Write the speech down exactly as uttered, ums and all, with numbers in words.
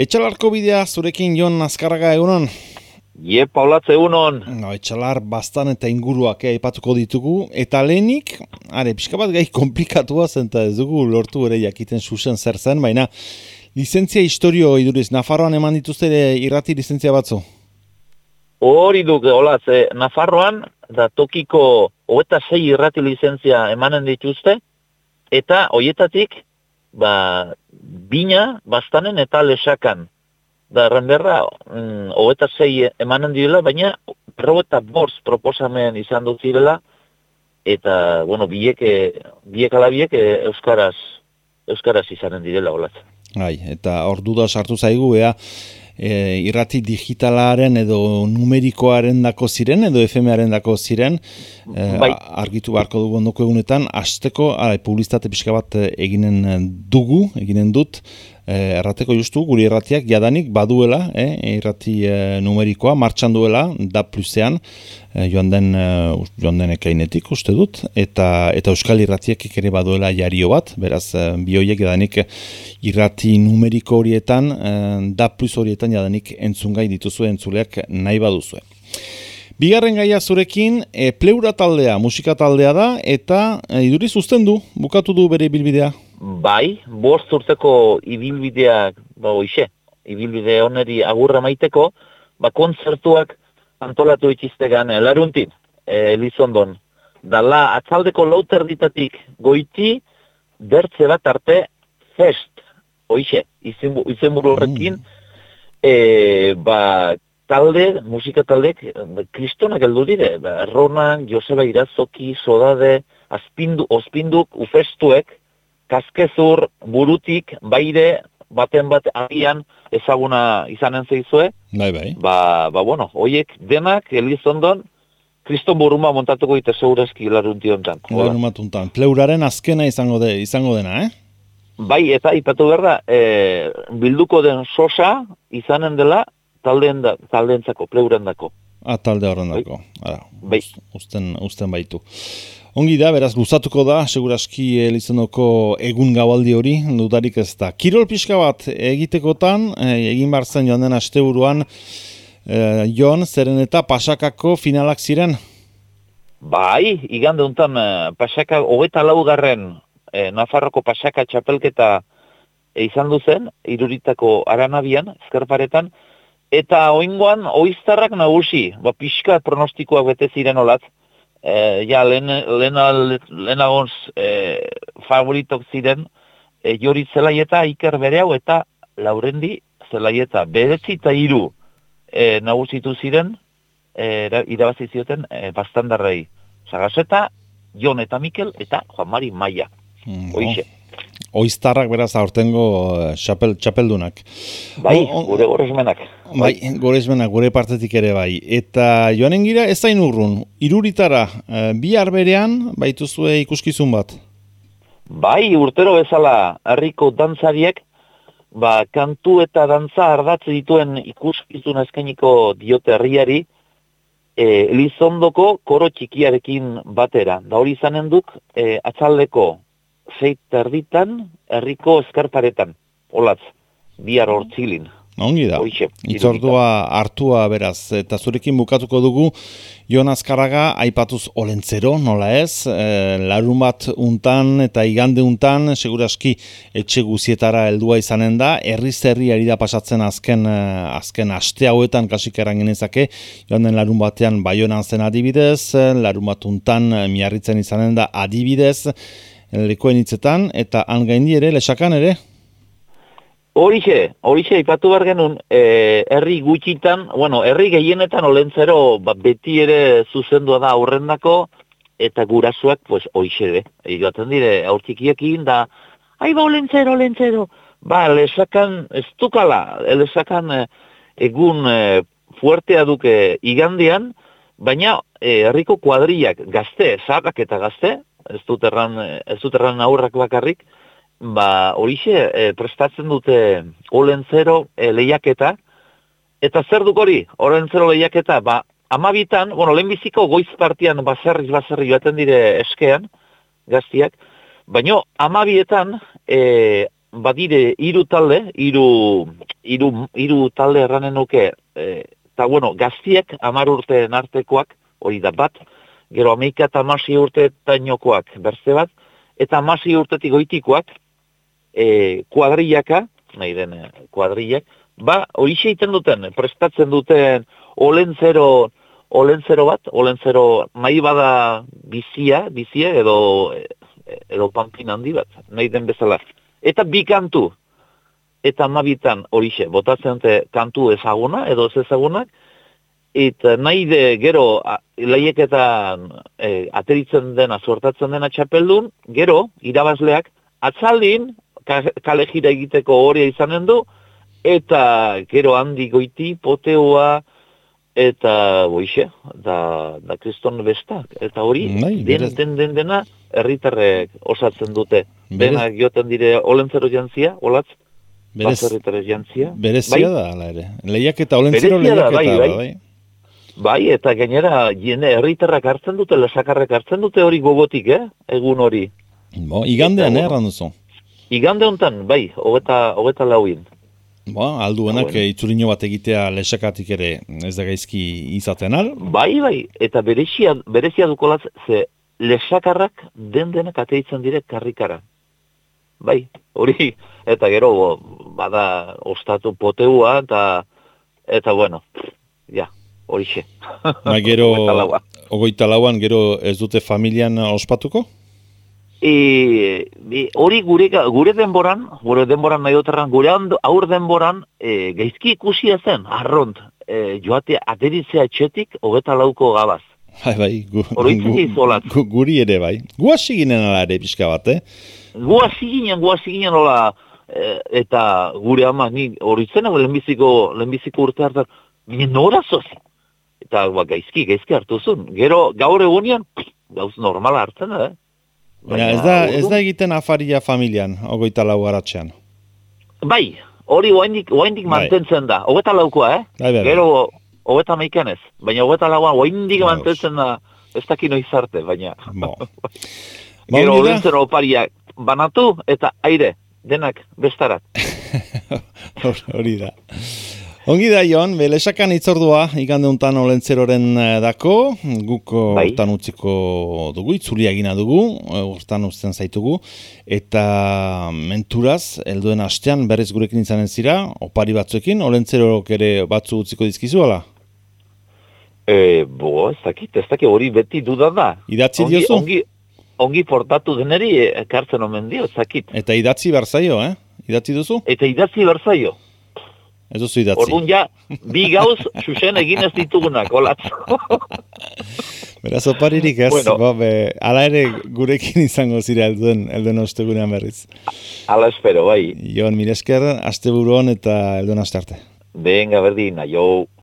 Etxalarko bidea zurekin Jon Azkarraga egunon? Ie, Paulatze egunon. No, Etxalar bastan eta inguruak aipatuko ditugu. Eta lehenik, are, pixka bat gai komplikatua zen, eta ez dugu lortu ere jakiten zuzen zer zen, baina lizentzia historio iduriz, Nafarroan eman dituzte irrati lizentzia batzu? Hori duk, olatz, eh, Nafarroan, da tokiko hogeita sei irrati lizentzia emanen dituzte, eta hoietatik, ba, bina, bastanen eta lesakan. Da, errenderra, mm, hogeita sei emanen direla, baina berrogeita bost proposamen izan dut zirela, eta, bueno, biek, biek ala biek euskaraz, euskaraz izanen direla, olatz. Bai, eta hor duda sartu zaigu, ea, e, irrati digitalaren edo numerikoaren dako ziren, edo F M-aren dako ziren, e, bai. Argitu beharko dugu ondoko egunetan, hasteko, ara, publizitate pixka bat eginen dugu, eginen dut, e, errateko justu, guri irratiak jadanik baduela, e, irrati e, numerikoa, martxan duela, da plusean, e, joan den, e, joan den ekainetik uste dut, eta, eta euskal irratiak ere baduela jario bat, beraz, e, bioiek jadanik irrati numeriko horietan, e, da plus horietan jadanik entzungai dituzue entzuleak nahi baduzue. Bigarren gaia zurekin, e, pleura taldea, musika taldea da, eta e, iduriz uzten du, bukatu du bere ibilbidea. Bai, bost urteko ibilbideak, ba, oixe, ibilbide oneri agurra maiteko, ba, kontzertuak antolatu itxiztegan laruntin, e, Elizondon. Dala, atzaldeko lauter ditatik goiti, bertze bat arte fest, oixe, izenburu horrekin, e, ba, talde, musika taldek, kristonak heldu dire, ba, Ronan, Joseba Irazoki, Sodade, Azpindu, Ospinduk, Ufestuek, Kaskezur, Burutik, Baire, baten bat agian ezaguna izanen zeizue. Bai, bai. Ba, ba bueno, hoiek denak, Elizondon, kriston buruma montatuko ite segurazki larunti hontan. Laruntuntan. Pleuraren azkena izango, de, izango dena, eh? Bai, eta ipatu behar da, e, bilduko den sosa izanen dela taldeen da, taldeentzako, pleurendako. Ah, talde horrendako. Bai. Bai. Usten, usten baitu. Ongi da, beraz, gustatuko da, seguraski Elizondoko egun gaualdi hori, dudarik ez da. Kirol pixka bat egitekotan, egin behar zen joan den asteburuan, eh, Jon, zeren eta Pasakako finalak ziren? Bai, igande untan, Pasaka, hogeita laugarren, eh, Nafarroko Pasaka txapelketa eh, izan duzen, iruritako aranabian, ezkerparetan, eta oingoan, oiztarrak nagusi, ba, pixka pronostikoak bete ziren olatz, E, ja, lehen, lehen, lehen agoz e, favoritok ziren e, Jori Zelaieta, Iker Bereau eta Laurendi Zelaieta. Beretzi eta hiru e, nagusitu ziren, e, irabazi zioten e, bastandarrei. Sagaseta, Jon eta Mikel eta Juan Mari Maia. Mm, Hoixe. Oiztarrak beraz aurtengo txapel, txapeldunak. Bai, o, gure goresmenak. Bai, goresmenak, gure partetik ere bai. Eta joanen gira ez zain urrun, iruritara, bihar berean baituzue ikuskizun bat? Bai, urtero bezala herriko dantzariek, ba, kantu eta dantza ardatze dituen ikuskizun eskainiko diote herriari, e, Elizondoko koro txikiarekin batera. Da hori izanen duk, e, atzaldeko zeit erditan, herriko eskarparetan. Olatz, bihar hortzilin. Ongi da, itzordua hartua beraz, eta zurekin bukatuko dugu, Jon Azkarraga aipatuz olentzero, nola ez, e, larun bat untan eta igande untan, seguraski etxe guzietara heldua izanen da, herriz herri ari da pasatzen azken, azken aste hauetan kasik eran genezake, joan den larun batean Baionan zen adibidez, larun bat untan Miarritzen izanen da adibidez, lekoen hitzetan, eta han gaindi ere, lesakan ere? Horixe, horixe, ipatu behar genuen, e, herri gutxitan, bueno, herri gehienetan olentzero ba, beti ere zuzendua da aurrendako, eta gurasoak, pues, horixe de. Egaten dire, aurtikiekin da, ai ba, olentzero, olentzero. Ba, lesakan, ez dukala, lesakan e, egun e, fuertea duke igandean, baina e, herriko kuadriak gazte, zaharrak eta gazte, ez dut erran, ez dut erran aurrak bakarrik, ba, horixe, e, prestatzen dute olentzero e, lehiaketa, eta zer duk hori, olentzero lehiaketa, ba, amabitan, bueno, lehenbiziko goiz partian baserriz baserri joaten dire eskean, gaztiak, baino amabietan, e, badire hiru talde, hiru hiru hiru talde erranen nuke, eta bueno, gaztiek hamar urteen artekoak, hori da bat, gero ameika eta amasi urteetainokoak berze bat, eta amasi urtetik goitikoak, e, kuadrillaka, nahi den kuadrillak, ba, hori egiten duten, prestatzen duten olentzero, olentzero bat, olentzero nahi bada bizia, bizia edo, edo panpin handi bat, nahi den bezala. Eta bi kantu, eta amabitan horixe, botatzen dute kantu ezaguna edo ez ezagunak, eta nahi de gero lehiaketan e, ateritzen dena, sortatzen dena txapeldun, gero, irabazleak, atzaldin, kale jira egiteko horia izanen du, eta gero handi goiti, poteoa, eta boixe, da, da kriston bestak, eta hori, Nahi, den, den, den dena, herritarrek osatzen dute. Denak joten dire olentzero jantzia, olatz, baserritarrez jantzia. Berezia bai? Da, ala ere. Lehiaketa, olentzero lehiaketa, bai, bai. bai. Bai, eta gainera, jende herritarrak hartzen dute, lesakarrek hartzen dute hori gogotik, eh? Egun hori. Bo, igandean, eh, erran duzu? Igande honetan, bai, hogeta, hogeta lauin. Bo, alduenak bueno. Itzulino bat egitea lesakatik ere ez da gaizki izaten al? Bai, bai, eta berezia, berezia dukolatz, ze lesakarrak den denak ateitzen dire karrikara. Bai, hori, eta gero, bada, ostatu poteua, eta, eta bueno, ja, horixe. Ba, gero, ogoita lauan, gero ez dute familian ospatuko? E, hori gure, gure denboran, gure denboran nahi duterran, gure aur denboran, e, gaizki ikusia zen, arront, e, joate ateritzea etxetik, hogeta lauko gabaz. Bai, bai, gu, gu, gu, guri ere bai. Gu hasi ginen ala ere pixka bat, eh? Gu hasi ginen, gu hasi ginen hola, e, eta gure ama, ni hori zena, lehenbiziko, lehenbiziko urte hartan, ginen nora zoz. Eta ba, gaizki, gaizki hartu zuen. Gero, gaur egunean, gauz normala hartzen, eh? Baina, ez da, ez da egiten afaria familian, ogoita lau garatxean. Bai, hori oaindik, oaindik mantentzen da. Hogeta laukoa, eh? Bai, bai, bai. Gero, hogeta meikanez. Baina hogeta lauan oaindik mantentzen da, ez dakino izarte, baina. Bo. Gero, olentzen opariak banatu eta aire, denak bestarat. Hori da. Ongi da, Jon, lesakan itzordua igande untan olentzeroren dako, guk bai. Hortan utziko dugu, itzulia egina dugu, hortan uzten zaitugu, eta menturaz, helduen astean berriz gurekin izanen zira, opari batzuekin, olentzerok ere batzu utziko dizkizu, ala? E, bo, ez dakit, ez dakit hori beti dudan da. Idatzi ongi, diozu? Ongi, ongi portatu deneri ekartzen omen dio, ez dakit. Eta idatzi berzaio, eh? Idatzi duzu? Eta idatzi berzaio. Ez duzu idatzi. Orduan ja, bi gauz, xuxen egin ez ditugunak, olatzo. Beraz, oparirik ez, bueno. Ba, be, ala ere gurekin izango zira elduen, elduen ostegunean berriz. Ala espero, bai. Jon, mire esker, asteburu hon eta elduen aste arte. Venga, berdin, aio.